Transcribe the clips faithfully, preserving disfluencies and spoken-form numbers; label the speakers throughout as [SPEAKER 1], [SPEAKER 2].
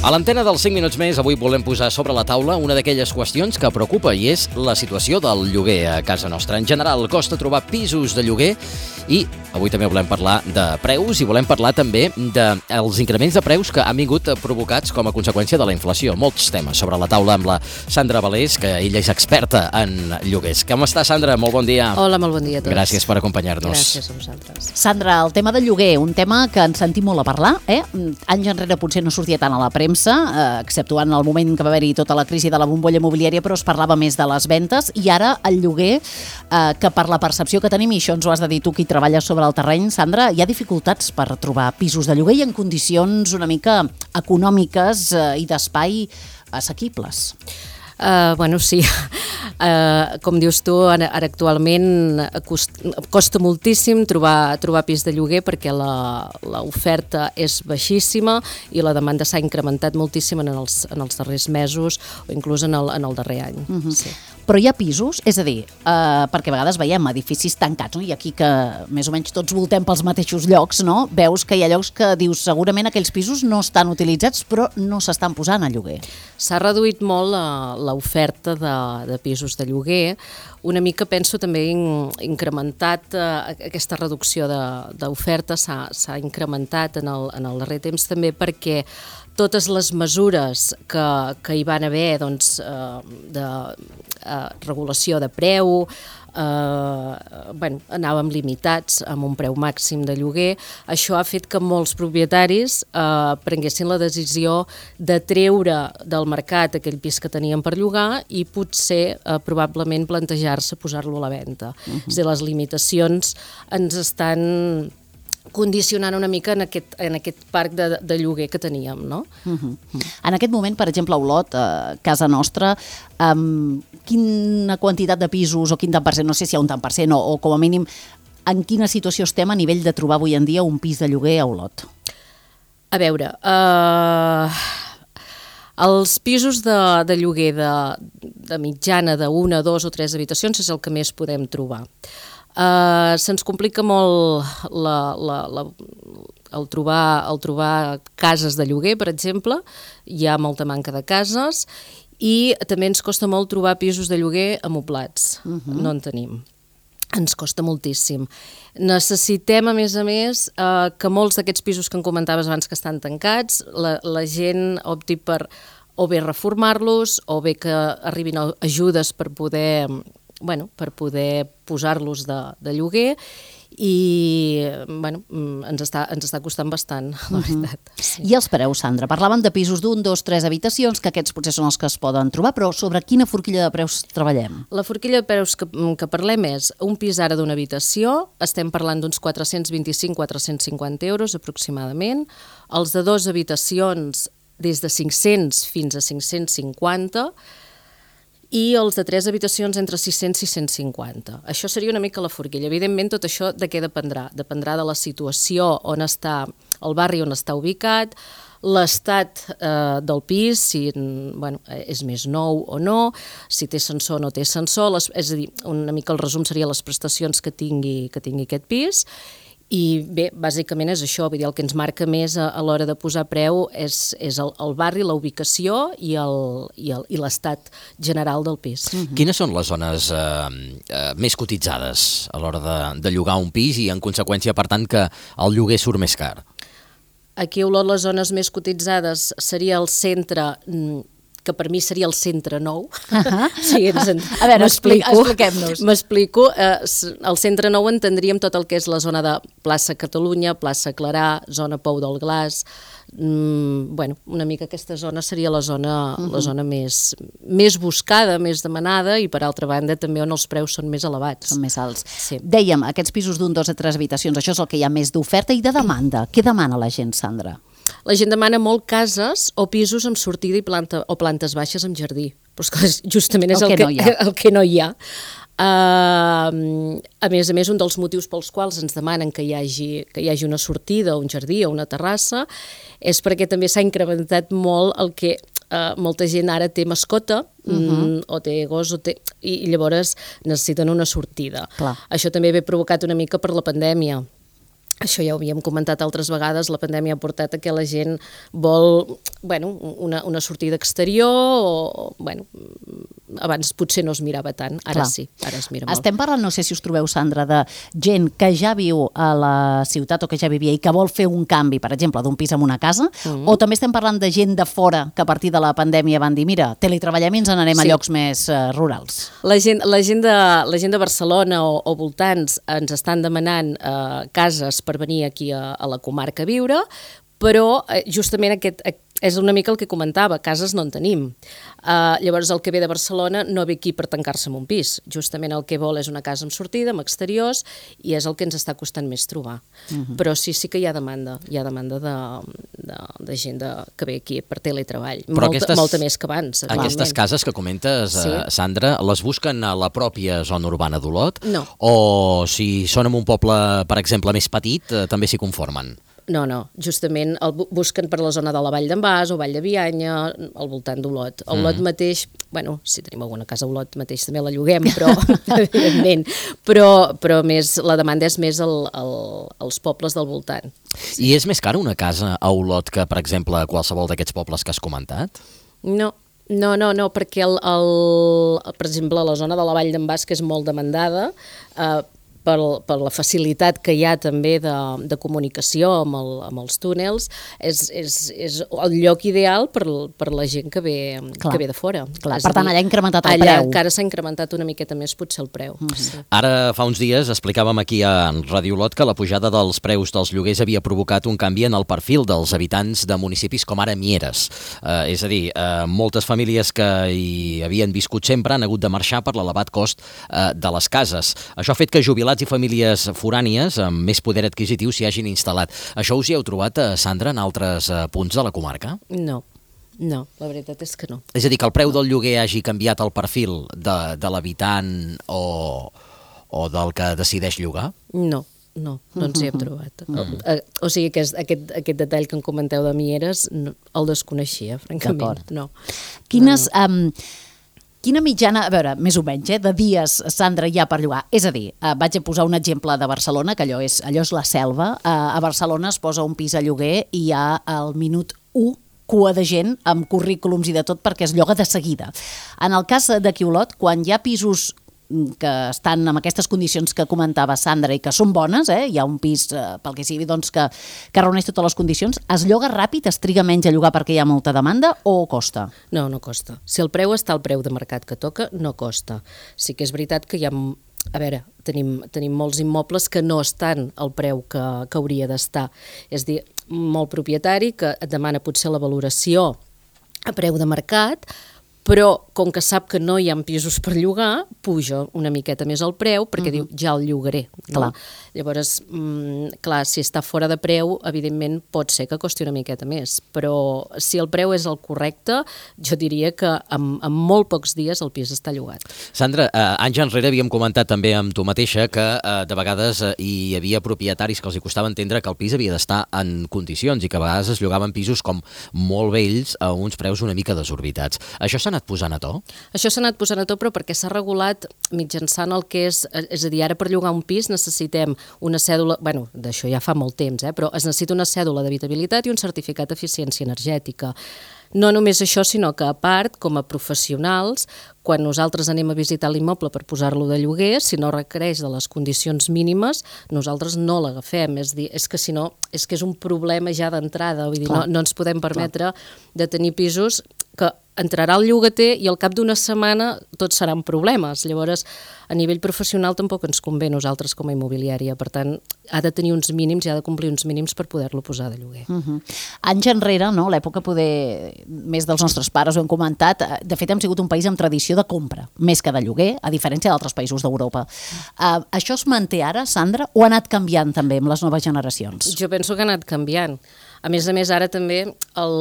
[SPEAKER 1] A l'antena dels cinc minuts més, avui volem posar sobre la taula una d'aquelles qüestions que preocupa i és la situació del lloguer a casa nostra. En general, costa trobar pisos de lloguer i avui també volem parlar de preus i volem parlar també dels increments de preus que han vingut provocats com a conseqüència de la inflació. Molts temes sobre la taula amb la Sandra Valés, que ella és experta en lloguers. Com està, Sandra? Molt bon dia.
[SPEAKER 2] Hola, molt bon dia a tots.
[SPEAKER 1] Gràcies per acompanyar-nos.
[SPEAKER 2] Gràcies a vosaltres.
[SPEAKER 3] Sandra, el tema del lloguer, un tema que ens sentim molt a parlar, eh? Anys enrere potser no sortia tant a la premsa, eh, exceptuant el moment que va haver-hi tota la crisi de la bombolla immobiliària, però es parlava més de les ventes, i ara el lloguer, eh, que per la percepció que tenim, i això ens ho has de dir tu, qui treballes sobre el terreny, Sandra, hi ha dificultats per trobar pisos de lloguer i en condicions una mica econòmiques eh, i d'espai assequibles.
[SPEAKER 2] Uh, bueno, sí, uh, com dius tu, ara, ara actualment cost, costa moltíssim trobar, trobar pis de lloguer perquè l'oferta és baixíssima i la demanda s'ha incrementat moltíssim en els, en els darrers mesos o inclús en el, en el darrer any. Uh-huh. Sí.
[SPEAKER 3] Però hi ha pisos, és a dir, eh, perquè a vegades veiem edificis tancats, no? I aquí que més o menys tots voltem pels mateixos llocs, no? Veus que hi ha llocs que dius segurament aquells pisos no estan utilitzats però no s'estan posant a lloguer.
[SPEAKER 2] S'ha reduït molt la, l'oferta de, de pisos de lloguer. Una mica, penso, també in, incrementat eh, aquesta reducció d'oferta s'ha s'ha incrementat en el, en el darrer temps també perquè totes les mesures que, que hi van haver doncs, eh, de eh, regulació de preu, eh, bueno, anàvem limitats amb un preu màxim de lloguer. Això ha fet que molts propietaris eh, prenguessin la decisió de treure del mercat aquell pis que tenien per llogar i potser eh, probablement plantejar-se posar-lo a la venda. Uh-huh. És a dir, les limitacions ens estan condicionant una mica en aquest, en aquest parc de, de lloguer que teníem, no?
[SPEAKER 3] Uh-huh. En aquest moment, per exemple, a Olot, a casa nostra, um, quina quantitat de pisos o quin tant per cent, no sé si hi ha un tant per cent o, o com a mínim, en quina situació estem a nivell de trobar avui en dia un pis de lloguer a Olot?
[SPEAKER 2] A veure, uh, els pisos de, de lloguer de, de mitjana d'una, dos o tres habitacions és el que més podem trobar. Uh, se'ns complica molt la, la, la, el, trobar, el trobar cases de lloguer, per exemple. Hi ha molta manca de cases i també ens costa molt trobar pisos de lloguer amoblats. Uh-huh. No en tenim. Ens costa moltíssim. Necessitem, a més a més, uh, que molts d'aquests pisos que em comentaves abans que estan tancats, la, la gent opti per o bé reformar-los o bé que arribin ajudes per poder... bueno, per poder posar-los de, de lloguer i bueno, ens, està, ens està costant bastant, la veritat.
[SPEAKER 3] Uh-huh. Sí. I els preus, Sandra? Parlaven de pisos d'un, dos, tres habitacions, que aquests potser són els que es poden trobar, però sobre quina forquilla de preus treballem?
[SPEAKER 2] La forquilla de preus que, que parlem és un pis ara d'una habitació, estem parlant d'uns quatre-cents vint-i-cinc a quatre-cents cinquanta euros aproximadament, els de dues habitacions des de cinc-cents fins a cinc-cents cinquanta i els de tres habitacions entre sis-cents i sis-cents cinquanta. Això seria una mica la forquilla. Evidentment, tot això de què dependrà? Dependrà de la situació on està, el barri on està ubicat, l'estat eh, del pis, si bueno, és més nou o no, si té ascensor o no té ascensor, les, és a dir, una mica el resum seria les prestacions que tingui, que tingui aquest pis. I bé, bàsicament és això, vull dir, el que ens marca més a, a l'hora de posar preu és, és el, el barri, la ubicació i l'estat general del pis.
[SPEAKER 1] Mm-hmm. Quines són les zones eh, eh, més cotitzades a l'hora de, de llogar un pis i en conseqüència, per tant, que el lloguer surt més car?
[SPEAKER 2] Aquí a Olot les zones més cotitzades seria el centre, que per mi seria el centre nou. Uh-huh. Sí, ens en...
[SPEAKER 3] A veure, expliquem-nos.
[SPEAKER 2] M'explico. Eh, el centre nou entendríem tot el que és la zona de plaça Catalunya, plaça Clarà, zona Pou del Glaç. Mm, bueno, una mica aquesta zona seria la zona, uh-huh. la zona més, més buscada, més demanada i per altra banda també on els preus són més elevats.
[SPEAKER 3] Són més alts.
[SPEAKER 2] Sí.
[SPEAKER 3] Dèiem, aquests pisos d'un, dos a tres habitacions, això és el que hi ha més d'oferta i de demanda. Què demana la gent, Sandra?
[SPEAKER 2] La gent demana molt cases o pisos amb sortida i planta, o plantes baixes amb jardí. Però és que justament és el, el, que, que, no el que no hi ha. Uh, a més a més, un dels motius pels quals ens demanen que hi hagi, que hi hagi una sortida, un jardí o una terrassa és perquè també s'ha incrementat molt el que uh, molta gent ara té mascota uh-huh. o té gos o té, i, i llavors necessiten una sortida. Clar. Això també ve provocat una mica per la pandèmia. això ja ho havíem comentat altres vegades, la pandèmia ha portat a que la gent vol, bueno, una, una sortida exterior o, bueno, abans potser no es mirava tant, ara
[SPEAKER 3] Clar.
[SPEAKER 2] sí, ara es mira molt.
[SPEAKER 3] Estem parlant, no sé si us trobeu, Sandra, de gent que ja viu a la ciutat o que ja vivia i que vol fer un canvi, per exemple, d'un pis a una casa, mm-hmm. o també estem parlant de gent de fora que a partir de la pandèmia van dir, mira, teletreballem i ens n'anem sí. a llocs més uh, rurals.
[SPEAKER 2] La gent, la, gent de, la gent de Barcelona o, o voltants ens estan demanant uh, cases per venir aquí a, a la comarca a viure, però eh, justament aquest és una mica el que comentava, cases no en tenim. Uh, llavors el que ve de Barcelona no ve aquí per tancar-se en un pis, justament el que vol és una casa amb sortida, amb exteriors, i és el que ens està costant més trobar. Uh-huh. Però sí, sí que hi ha demanda, hi ha demanda de, de, de gent de, que ve aquí per teletreball, molta, aquestes, molta més que abans.
[SPEAKER 1] Aquestes cases que comentes, sí. eh, Sandra, les busquen a la pròpia zona urbana d'Olot?
[SPEAKER 2] No.
[SPEAKER 1] O si són en un poble, per exemple, més petit, eh, també s'hi conformen?
[SPEAKER 2] No, no, justament el busquen per la zona de la Vall d'en Bas o Vall de Bianya, al voltant d'Olot. A Olot mm. mateix, bueno, si tenim alguna casa a Olot mateix també la lloguem, però evidentment, però, però més, la demanda és més el, el, els pobles del voltant.
[SPEAKER 1] I és més cara una casa a Olot que, per exemple, qualsevol d'aquests pobles que has comentat?
[SPEAKER 2] No, no, no, no perquè, el, el, per exemple, la zona de la Vall d'en Bas, que és molt demandada, eh, Per, per la facilitat que hi ha també de, de comunicació amb, el, amb els túnels, és, és, és el lloc ideal per, per la gent que ve, que ve de fora.
[SPEAKER 3] Clar, per tant, allà ha incrementat el
[SPEAKER 2] allà
[SPEAKER 3] preu.
[SPEAKER 2] Allà encara s'ha incrementat una miqueta més potser el preu. Mm-hmm. Sí.
[SPEAKER 1] Ara, fa uns dies, explicàvem aquí a Ràdio Olot que la pujada dels preus dels lloguers havia provocat un canvi en el perfil dels habitants de municipis com ara Mieres. Eh, és a dir, eh, moltes famílies que hi havien viscut sempre han hagut de marxar per l'elevat cost eh, de les cases. Això ha fet que jubilats i famílies forànies amb més poder adquisitiu s'hi hagin instal·lat. Això us hi heu trobat, Sandra, en altres punts de la comarca?
[SPEAKER 2] No, no, la veritat és que no.
[SPEAKER 1] És a dir, que el preu del lloguer hagi canviat el perfil de, de l'habitant o, o del que decideix llogar?
[SPEAKER 2] No. No, no ens hi hem trobat. Mm. O sigui que és, aquest, aquest detall que em comenteu de Mieres no, el desconeixia, francament. No.
[SPEAKER 3] Quines... No, no. Um, Quina mitjana, a veure, més o menys, eh, de dies, Sandra, hi ha per llogar? És a dir, eh, vaig a posar un exemple de Barcelona, que allò és, allò és la selva. Eh, a Barcelona es posa un pis a lloguer i hi ha al minut u cua de gent amb currículums i de tot perquè es lloga de seguida. En el cas d'aquí a Olot, quan hi ha pisos que estan en aquestes condicions que comentava Sandra i que són bones, eh? Hi ha un pis, eh, pel que sigui, doncs, que, que reuneix totes les condicions, es lloga ràpid, es triga menys a llogar perquè hi ha molta demanda o costa?
[SPEAKER 2] No, no costa. Si el preu està al preu de mercat que toca, no costa. Sí que és veritat que hi ha... A veure, tenim, tenim molts immobles que no estan al preu que, que hauria d'estar. És a dir, molt propietari que et demana potser la valoració a preu de mercat, però com que sap que no hi ha pisos per llogar, puja una miqueta més el preu perquè uh-huh. diu, ja el llogaré. No? Clar. Llavors, mm, clar, si està fora de preu, evidentment pot ser que costi una miqueta més, però si el preu és el correcte, jo diria que en, en molt pocs dies el pis està llogat.
[SPEAKER 1] Sandra, eh, anys enrere havíem comentat també amb tu mateixa que eh, de vegades eh, hi havia propietaris que els hi costava entendre que el pis havia d'estar en condicions i que a vegades es llogaven pisos com molt vells a uns preus una mica desorbitats. Això s'ha anat posant a to?
[SPEAKER 2] Això s'ha anat posant a to, però perquè s'ha regulat mitjançant el que és... És a dir, ara per llogar un pis necessitem una cèdula... Bueno, d'això ja fa molt temps, eh? Però es necessita una cèdula d'habitabilitat i un certificat d'eficiència energètica. No només això, sinó que a part, com a professionals, quan nosaltres anem a visitar l'immoble per posar-lo de lloguer, si no requereix de les condicions mínimes, nosaltres no l'agafem. És dir, és que si no, és que és un problema ja d'entrada. Vull dir, no, no ens podem permetre de tenir pisos que entrarà el llogater i al cap d'una setmana tots seran problemes. Llavors, a nivell professional tampoc ens convé nosaltres com a immobiliària. Per tant, ha de tenir uns mínims i ha de complir uns mínims per poder-lo posar de lloguer. Uh-huh.
[SPEAKER 3] Anys enrere, no? L'època poder més dels nostres pares, ho hem comentat, de fet hem sigut un país amb tradició de compra, més que de lloguer, a diferència d'altres països d'Europa. Uh, això es manté ara, Sandra, o ha anat canviant també amb les noves generacions?
[SPEAKER 2] Jo penso que ha anat canviant. A més a més, ara també el,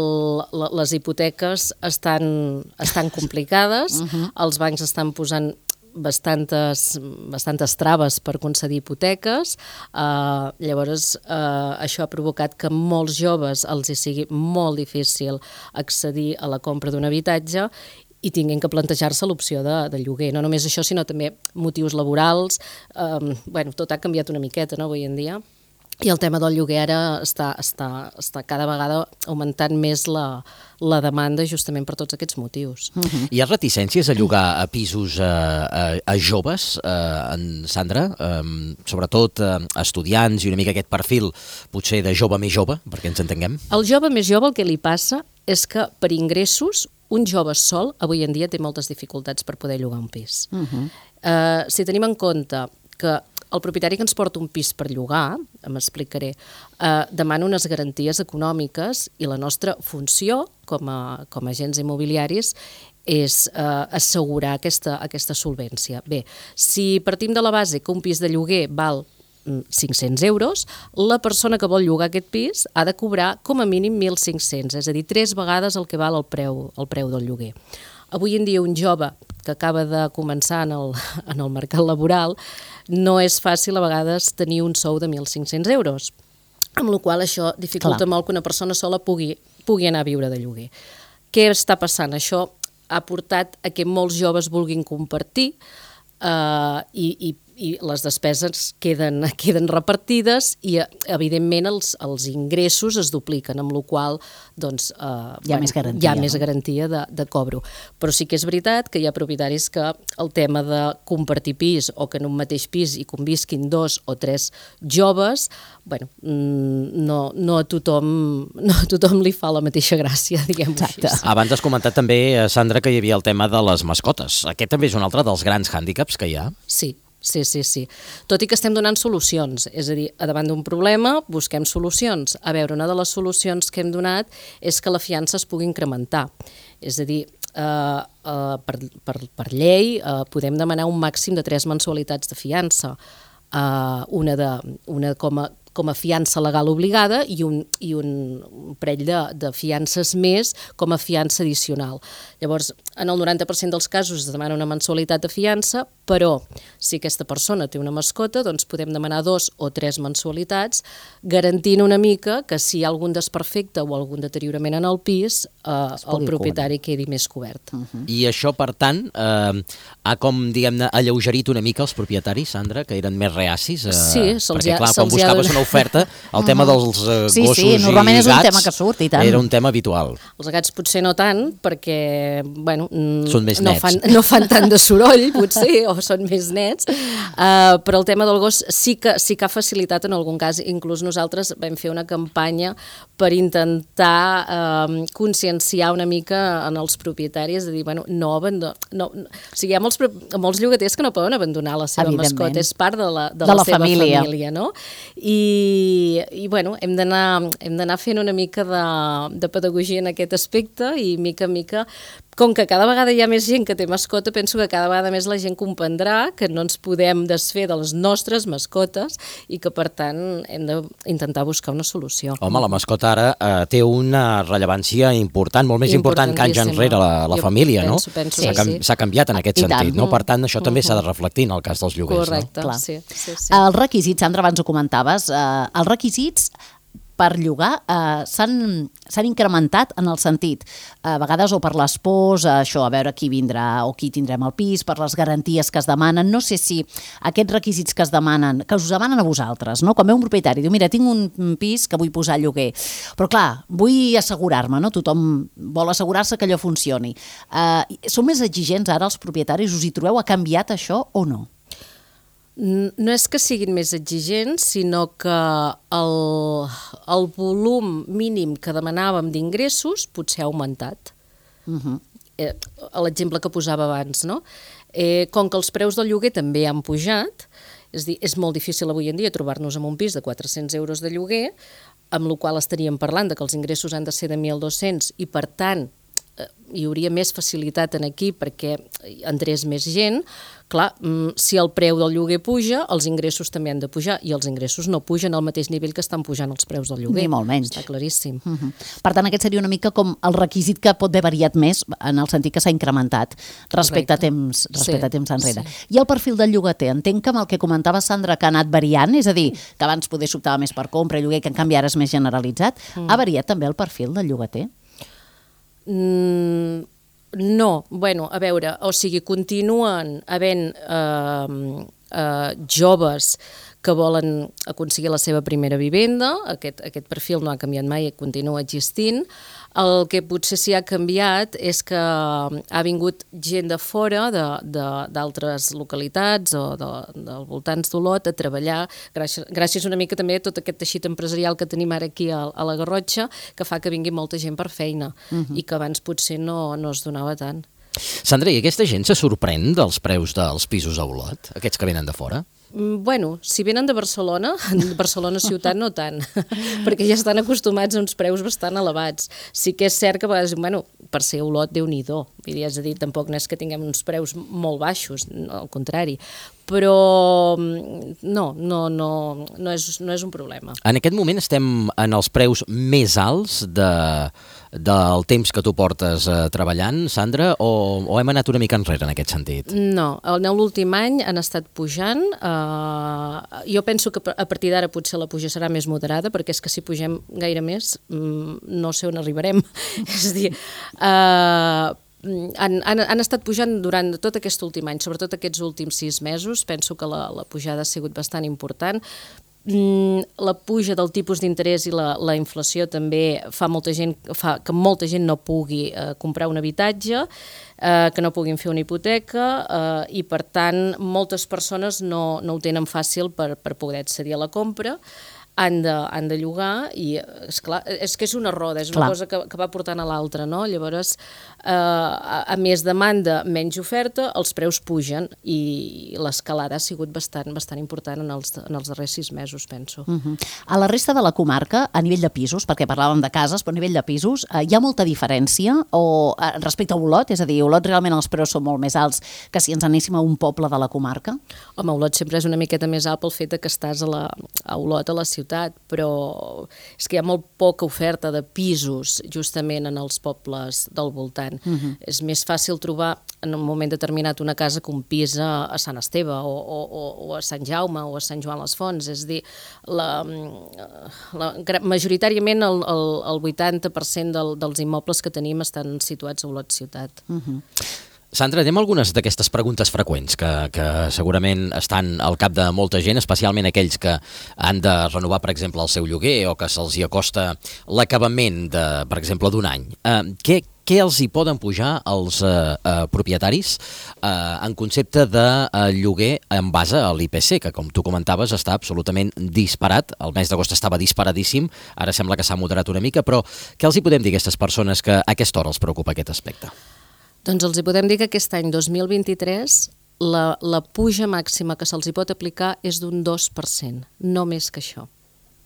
[SPEAKER 2] les hipoteques estan, estan complicades, uh-huh. Els bancs estan posant bastantes, bastantes traves per concedir hipoteques, uh, llavors uh, això ha provocat que molts joves els hi sigui molt difícil accedir a la compra d'un habitatge i tinguin que plantejar-se l'opció de, de lloguer. No només això, sinó també motius laborals. Um, bueno, tot ha canviat una miqueta, no, avui en dia. I el tema del lloguer ara està, està, està cada vegada augmentant més la, la demanda justament per tots aquests motius.
[SPEAKER 1] Uh-huh. Hi ha reticències a llogar a pisos a, a, a joves, a, en Sandra? Um, sobretot a estudiants i una mica aquest perfil potser de jove més jove, perquè ens entenguem?
[SPEAKER 2] El jove més jove el que li passa és que per ingressos un jove sol avui en dia té moltes dificultats per poder llogar un pis. Uh-huh. uh, si tenim en compte que el propietari que ens porta un pis per llogar, m'explicaré, eh, demana unes garanties econòmiques i la nostra funció com a, com a agents immobiliaris és eh, assegurar aquesta, aquesta solvència. Bé, si partim de la base que un pis de lloguer val cinc-cents euros, la persona que vol llogar aquest pis ha de cobrar com a mínim mil cinc-cents, és a dir, tres vegades el que val el preu, el preu del lloguer. Avui en dia un jove que acaba de començar en el, en el mercat laboral no és fàcil a vegades tenir un sou de mil cinc-cents euros, amb la qual cosa això dificulta Clar. molt que una persona sola pugui, pugui anar a viure de lloguer. Què està passant? Això ha portat a que molts joves vulguin compartir eh, i, i i les despeses queden, queden repartides i, evidentment, els, els ingressos es dupliquen, amb la qual doncs, eh,
[SPEAKER 3] hi ha bueno, més garantia,
[SPEAKER 2] hi ha
[SPEAKER 3] no?
[SPEAKER 2] més garantia de, de cobro. Però sí que és veritat que hi ha propietaris que el tema de compartir pis o que en un mateix pis hi convisquin dos o tres joves, bueno, no, no, a tothom, no a tothom li fa la mateixa gràcia, diguem-ho així.
[SPEAKER 1] Abans has comentat també, Sandra, que hi havia el tema de les mascotes. Aquest també és un altre dels grans hàndicaps que hi ha?
[SPEAKER 2] Sí. Sí, sí, sí. Tot i que estem donant solucions, és a dir, davant d'un problema busquem solucions. A veure, una de les solucions que hem donat és que la fiança es pugui incrementar. És a dir, eh, eh, per, per, per llei eh, podem demanar un màxim de tres mensualitats de fiança, eh, una, de, una com a com a fiança legal obligada i un, i un parell de, de fiances més com a fiança addicional. Llavors, en el noranta per cent dels casos es demana una mensualitat de fiança, però si aquesta persona té una mascota, doncs podem demanar dos o tres mensualitats, garantint una mica que si hi ha algun desperfecte o algun deteriorament en el pis, eh, el propietari quedi més cobert.
[SPEAKER 1] Uh-huh. I això, per tant, eh, ha com, diguem-ne, alleugerit una mica els propietaris, Sandra, que eren més reacis? Eh,
[SPEAKER 2] sí, se'ls
[SPEAKER 1] perquè,
[SPEAKER 2] ha,
[SPEAKER 1] clar,
[SPEAKER 2] se
[SPEAKER 1] quan buscaves una oferta, el tema dels uh,
[SPEAKER 3] sí,
[SPEAKER 1] gossos
[SPEAKER 3] sí, normalment
[SPEAKER 1] i
[SPEAKER 3] és
[SPEAKER 1] gats
[SPEAKER 3] un tema que surt, i tant.
[SPEAKER 1] Era un tema habitual.
[SPEAKER 2] Els gats potser no tant, perquè bueno,
[SPEAKER 1] són més
[SPEAKER 2] no
[SPEAKER 1] nets.
[SPEAKER 2] Fan, no fan tant de soroll, potser, o són més nets, uh, però el tema del gos sí que, sí que ha facilitat en algun cas. Inclús nosaltres vam fer una campanya per intentar uh, conscienciar una mica en els propietaris, de dir, bueno, no abandonar... No, no, o sigui, hi ha molts, molts llogaters que no poden abandonar la seva mascota, és part de la, de
[SPEAKER 3] de
[SPEAKER 2] la,
[SPEAKER 3] la
[SPEAKER 2] seva
[SPEAKER 3] família,
[SPEAKER 2] família no? I, i bueno, hem d'anar hem d'anar fent una mica de, de pedagogia en aquest aspecte i mica en mica, com que cada vegada hi ha més gent que té mascota, penso que cada vegada més la gent comprendrà que no ens podem desfer de les nostres mascotes i que, per tant, hem d'intentar buscar una solució.
[SPEAKER 1] Home, la mascota ara eh, té una rellevància important, molt més important que anys enrere la, la
[SPEAKER 2] jo
[SPEAKER 1] família,
[SPEAKER 2] penso,
[SPEAKER 1] no?
[SPEAKER 2] Penso,
[SPEAKER 1] S'ha
[SPEAKER 2] sí,
[SPEAKER 1] sí. sí. canviat en aquest
[SPEAKER 3] I
[SPEAKER 1] sentit,
[SPEAKER 3] tant.
[SPEAKER 1] no? Per tant, això també
[SPEAKER 2] uh-huh.
[SPEAKER 1] s'ha de reflectir en el cas dels lloguers,
[SPEAKER 2] Correcte,
[SPEAKER 1] no?
[SPEAKER 2] Correcte, sí, sí, sí.
[SPEAKER 3] Els requisits, Sandra, abans ho comentaves, eh, els requisits per llogar eh, s'han incrementat en el sentit, a vegades o per l'espòs, això, a veure qui vindrà o qui tindrem al pis, per les garanties que es demanen. No sé si aquests requisits que es demanen, que us demanen a vosaltres, no? Quan ve un propietari, diu, mira, tinc un pis que vull posar a lloguer, però clar, vull assegurar-me, no? Tothom vol assegurar-se que allò funcioni. Eh, són més exigents ara els propietaris? Us hi trobeu? Ha canviat això o no?
[SPEAKER 2] No és que siguin més exigents, sinó que el, el volum mínim que demanàvem d'ingressos potser ha augmentat. Uh-huh. eh, L'exemple que posava abans, no? Eh, com que els preus del lloguer també han pujat, és dir, és molt difícil avui en dia trobar-nos en un pis de quatre-cents euros de lloguer, amb la qual estaríem parlant de que els ingressos han de ser de mil dos-cents i, per tant, hi hauria més facilitat en aquí perquè entrés més gent. Clar, si el preu del lloguer puja, els ingressos també han de pujar i els ingressos no pugen al mateix nivell que estan pujant els preus del lloguer.
[SPEAKER 3] Ni molt menys.
[SPEAKER 2] Està claríssim.
[SPEAKER 3] Uh-huh. Per tant, aquest seria una mica com el requisit que pot haver variat més en el sentit que s'ha incrementat respecte a temps, respecte sí, a temps enrere. Sí. I el perfil del llogater, entenc que amb el que comentava Sandra que ha anat variant, és a dir, que abans poder s'optava més per compra i lloguer, que en canvi ara és més generalitzat, mm. ha variat també el perfil del llogater?
[SPEAKER 2] Mm, no, bueno, a veure, o sigui, continuen havent eh, eh, joves que volen aconseguir la seva primera vivenda. Aquest, aquest perfil no ha canviat mai, continua existint. El que potser s'hi ha canviat és que ha vingut gent de fora, d'altres localitats o de, dels voltants d'Olot, a treballar, gràcies, gràcies una mica també a tot aquest teixit empresarial que tenim ara aquí a, a la Garrotxa, que fa que vingui molta gent per feina, uh-huh. i que abans potser no, no es donava tant.
[SPEAKER 1] Sandra, i aquesta gent se sorprèn dels preus dels pisos a Olot, aquests que venen de fora?
[SPEAKER 2] Bueno, si venen de Barcelona, de Barcelona ciutat no tant, perquè ja estan acostumats a uns preus bastant elevats. Sí que és cert que a vegades, bueno, per ser Olot, Déu-n'hi-do, és a dir, tampoc no és que tinguem uns preus molt baixos, al contrari, però no, no, no, no, és, no és un problema.
[SPEAKER 1] En aquest moment estem en els preus més alts de, del temps que tu portes eh, treballant, Sandra, o, o hem anat una mica enrere en aquest sentit?
[SPEAKER 2] No, en l'últim any han estat pujant. Eh, jo penso que a partir d'ara potser la puja serà més moderada, perquè és que si pugem gaire més no sé on arribarem. És a dir, eh, Han, han, han estat pujant durant tot aquest últim any, sobretot aquests últims sis mesos. Penso que la, la pujada ha sigut bastant important. La puja del tipus d'interès i la, la inflació també fa, molta gent, fa que molta gent no pugui eh, comprar un habitatge, eh, que no puguin fer una hipoteca, eh, i per tant moltes persones no, no ho tenen fàcil per, per poder accedir a la compra. Han de, han de llogar i, esclar, és que és una roda, és una
[SPEAKER 3] Clar.
[SPEAKER 2] cosa que, que va portant a l'altra, no? Llavors, eh, a, a més demanda, menys oferta, els preus pugen i l'escalada ha sigut bastant, bastant important en els, en els darrers sis mesos, penso.
[SPEAKER 3] Uh-huh. A la resta de la comarca, a nivell de pisos, perquè parlàvem de cases, però a nivell de pisos, eh, hi ha molta diferència o, eh, respecte a Olot? És a dir, a Olot realment els preus són molt més alts que si ens anéssim a un poble de la comarca?
[SPEAKER 2] Home, Olot sempre és una miqueta més alt pel fet que estàs a, la, a Olot, a la ciutat, però és que hi ha molt poca oferta de pisos justament en els pobles del voltant. Uh-huh. És més fàcil trobar en un moment determinat una casa que un pis a, a Sant Esteve o, o, o a Sant Jaume o a Sant Joan les Fonts. És a dir, la, la, majoritàriament el, el, el vuitanta per cent del, dels immobles que tenim estan situats a Olot ciutat.
[SPEAKER 3] Uh-huh.
[SPEAKER 1] Sandra, anem a algunes d'aquestes preguntes freqüents que, que segurament estan al cap de molta gent, especialment aquells que han de renovar, per exemple, el seu lloguer o que se'ls hi acosta l'acabament, de, per exemple, d'un any. Eh, què, què els hi poden pujar als eh, eh, propietaris eh, en concepte de eh, lloguer en base a l'I P C, que, com tu comentaves, està absolutament disparat. El mes d'agost estava disparadíssim, ara sembla que s'ha moderat una mica, però què els hi podem dir a aquestes persones que a aquesta hora els preocupa aquest aspecte?
[SPEAKER 2] Doncs els hi podem dir que aquest any dos mil vint-i-tres la, la puja màxima que se'ls hi pot aplicar és d'un dos per cent, no més que això.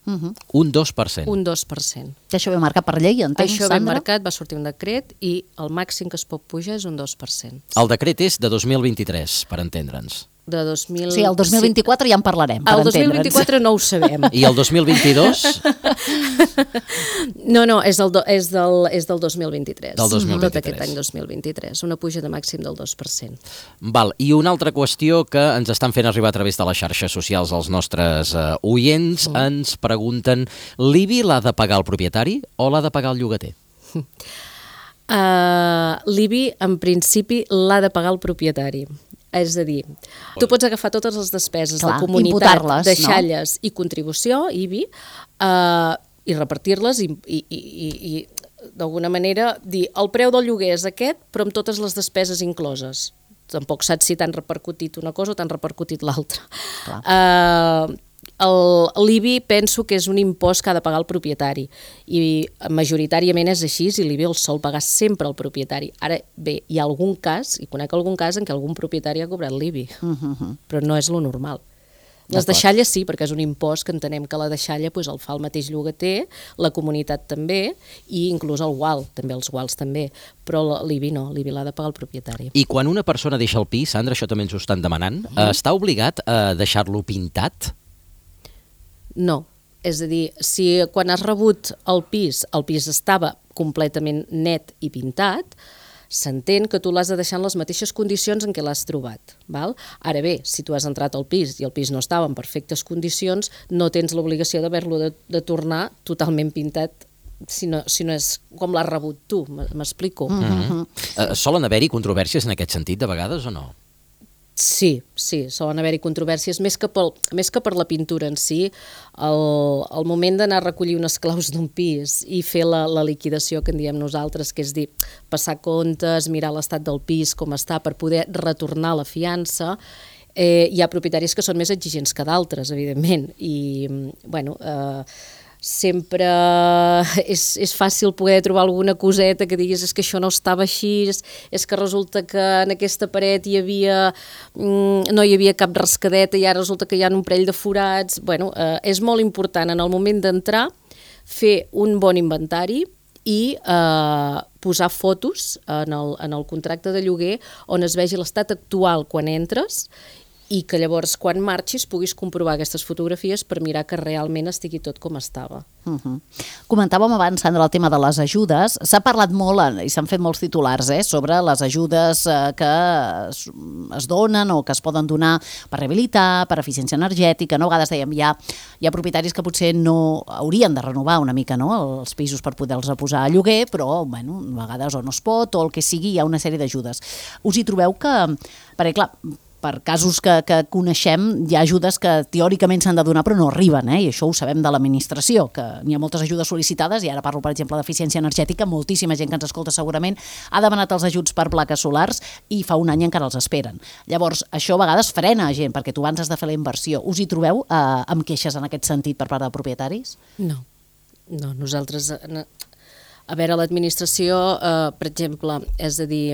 [SPEAKER 3] Uh-huh.
[SPEAKER 1] Un dos per cent?
[SPEAKER 2] Un dos per cent.
[SPEAKER 3] Que això ve marcat per llei, entenc,
[SPEAKER 2] Això
[SPEAKER 3] Sandra?
[SPEAKER 2] ve marcat, va sortir un decret i el màxim que es pot pujar és un dos per cent.
[SPEAKER 1] El decret és de dos mil vint-i-tres, per entendre'ns.
[SPEAKER 2] De dos mil...
[SPEAKER 3] Sí, el dos mil vint-i-quatre sí. Ja en parlarem, per
[SPEAKER 2] el dos mil vint-i-quatre no ho sabem.
[SPEAKER 1] I el dos mil vint-i-dos?
[SPEAKER 2] No, no, és, el do, és, del, és del dos mil vint-i-tres.
[SPEAKER 1] Del dos mil vint-i-tres.
[SPEAKER 2] Tot aquest any dos mil vint-i-tres. Una puja de màxim del dos per cent.
[SPEAKER 1] Val, i una altra qüestió que ens estan fent arribar a través de les xarxes socials els nostres uh, oients, mm. ens pregunten, l'I B I l'ha de pagar el propietari o l'ha de pagar el llogater?
[SPEAKER 2] Uh, L'I B I, en principi, l'ha de pagar el propietari. És a dir, tu pots agafar totes les despeses
[SPEAKER 3] Clar,
[SPEAKER 2] de comunitat, deixalles
[SPEAKER 3] no?
[SPEAKER 2] i contribució, I B I, uh, i repartir-les i, i, i, i d'alguna manera dir el preu del lloguer és aquest, però amb totes les despeses incloses. Tampoc saps si t'han repercutit una cosa o t'han repercutit l'altra. Uh, L'I B I penso que és un impost que ha de pagar el propietari i majoritàriament és així i l'I B I el sol pagar sempre el propietari. Ara bé, hi ha algun cas, i conec algun cas en què algun propietari ha cobrat l'I B I, uh-huh. però no és lo normal. Les deixalles sí, perquè és un impost que entenem que la deixalla pues, el fa el mateix llogater, la comunitat també, i inclús el gual, també els guals també, però l'I B I no, l'I B I l'ha de pagar el propietari.
[SPEAKER 1] I quan una persona deixa el pis, Sandra, això també ens ho estan demanant, uh-huh. està obligat a deixar-lo pintat?
[SPEAKER 2] No, és a dir, si quan has rebut el pis, el pis estava completament net i pintat, s'entén que tu l'has de deixar en les mateixes condicions en què l'has trobat. Val? Ara bé, si tu has entrat al pis i el pis no estava en perfectes condicions, no tens l'obligació d'haver-lo de, de tornar totalment pintat si no, si no és com l'has rebut tu, m'explico.
[SPEAKER 1] Mm-hmm. Uh, solen haver-hi controvèrsies en aquest sentit de vegades o no?
[SPEAKER 2] Sí, sí, solen haver-hi controvèrsies, més que, pel, més que per la pintura en si, el, el moment d'anar a recollir unes claus d'un pis i fer la, la liquidació que en diem nosaltres, que és dir, passar comptes, mirar l'estat del pis, com està, per poder retornar la fiança. Eh, hi ha propietaris que són més exigents que d'altres, evidentment, i, bueno... Eh, sempre és, és fàcil poder trobar alguna coseta que diguis és que això no estava així, és, és que resulta que en aquesta paret hi havia, no hi havia cap rascadeta i ara resulta que hi ha un parell de forats. Bueno, eh, és molt important en el moment d'entrar fer un bon inventari i eh, posar fotos en el, en el contracte de lloguer on es vegi l'estat actual quan entres i que llavors quan marxis puguis comprovar aquestes fotografies per mirar que realment estigui tot com estava.
[SPEAKER 3] Uh-huh. Comentàvem abans, Sandra, el tema de les ajudes. S'ha parlat molt i s'han fet molts titulars eh, sobre les ajudes eh, que es, es donen o que es poden donar per rehabilitar, per eficiència energètica. No? A vegades dèiem, hi ha, hi ha propietaris que potser no haurien de renovar una mica no? els pisos per poder-los posar a lloguer, però bueno, a vegades o no es pot o el que sigui, hi ha una sèrie d'ajudes. Us hi trobeu que, perquè clar, per casos que, que coneixem, hi ha ajudes que teòricament s'han de donar però no arriben, eh? I això ho sabem de l'administració, que n'hi ha moltes ajudes sol·licitades, i ara parlo, per exemple, d'eficiència energètica, moltíssima gent que ens escolta segurament ha demanat els ajuts per plaques solars i fa un any encara els esperen. Llavors, això a vegades frena gent, perquè tu abans has de fer la inversió. Us hi trobeu eh, amb queixes en aquest sentit per part de propietaris?
[SPEAKER 2] No, no, nosaltres... A veure, l'administració, eh, per exemple, és a dir...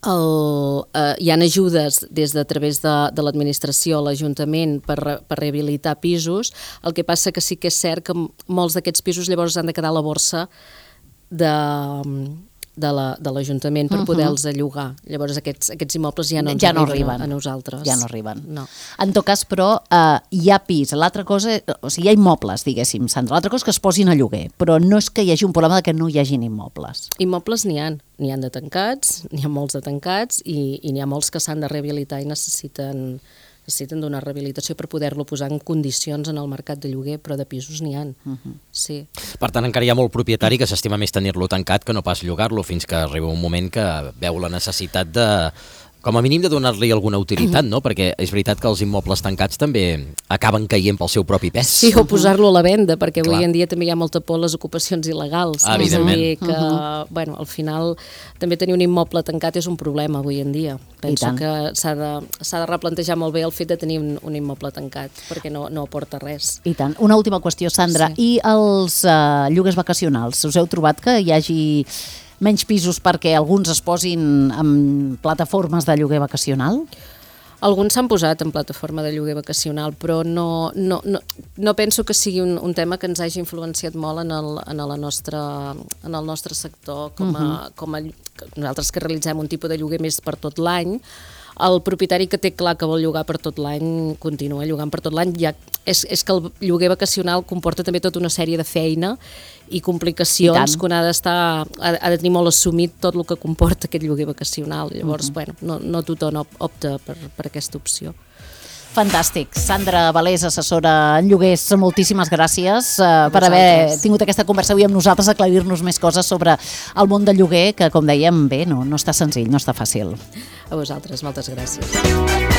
[SPEAKER 2] El, eh, hi ha ajudes des de a través de, de l'administració a l'Ajuntament per, per rehabilitar pisos. El que passa que sí que és cert que molts d'aquests pisos llavors han de quedar a la borsa de, de, la, de l'Ajuntament per uh-huh. poder-los llogar. Llavors aquests, aquests immobles ja no ens
[SPEAKER 3] ja no
[SPEAKER 2] arriben,
[SPEAKER 3] arriben
[SPEAKER 2] a, a nosaltres.
[SPEAKER 3] Ja no arriben.
[SPEAKER 2] No.
[SPEAKER 3] En tot cas, però, eh, hi ha pis. L'altra cosa, o sigui, hi ha immobles, diguéssim, Sandra. L'altra cosa és que es posin a lloguer, però no és que hi hagi un problema de que no hi hagin immobles.
[SPEAKER 2] Immobles n'hi ha. N'hi ha de tancats, n'hi ha molts de tancats i, i n'hi ha molts que s'han de rehabilitar i necessiten, necessiten donar rehabilitació per poder-lo posar en condicions en el mercat de lloguer, però de pisos n'hi ha. Uh-huh. Sí.
[SPEAKER 1] Per tant, encara hi ha molt propietari que s'estima més tenir-lo tancat que no pas llogar-lo, fins que arriba un moment que veu la necessitat de... com a mínim de donar-li alguna utilitat, no? Perquè és veritat que els immobles tancats també acaben caient pel seu propi pes.
[SPEAKER 2] Sí, o posar-lo a la venda, perquè
[SPEAKER 1] Clar.
[SPEAKER 2] avui en dia també hi ha molta por a les ocupacions il·legals.
[SPEAKER 1] Ah, evidentment.
[SPEAKER 2] És a dir que, uh-huh. bueno, al final també tenir un immoble tancat és un problema avui en dia. Penso que s'ha de, s'ha de replantejar molt bé el fet de tenir un, un immoble tancat, perquè no, no aporta res.
[SPEAKER 3] I tant. Una última qüestió, Sandra. Sí. I els uh, lloguers vacacionals? Us heu trobat que hi hagi menys pisos perquè alguns es posin en plataformes de lloguer vacacional?
[SPEAKER 2] Alguns s'han posat en plataforma de lloguer vacacional, però no, no, no, no penso que sigui un, un tema que ens hagi influenciat molt en el, en la nostra, en el nostre sector, com a, uh-huh. com a nosaltres que realitzem un tipus de lloguer més per tot l'any. El propietari que té clar que vol llogar per tot l'any continua llogant per tot l'any. Ja, és, és que el lloguer vacacional comporta també tota una sèrie de feina i complicacions I que un ha d'estar, ha, ha de tenir molt assumit tot el que comporta aquest lloguer vacacional. Llavors, uh-huh. bueno, no, no tothom opta per, per aquesta opció.
[SPEAKER 3] Fantàstic. Sandra Valés, assessora en lloguers, moltíssimes gràcies uh, per haver tingut aquesta conversa avui amb nosaltres, aclarir-nos més coses sobre el món del lloguer, que, com dèiem, bé, no, no està senzill, no està fàcil.
[SPEAKER 2] A vosaltres, moltes gràcies.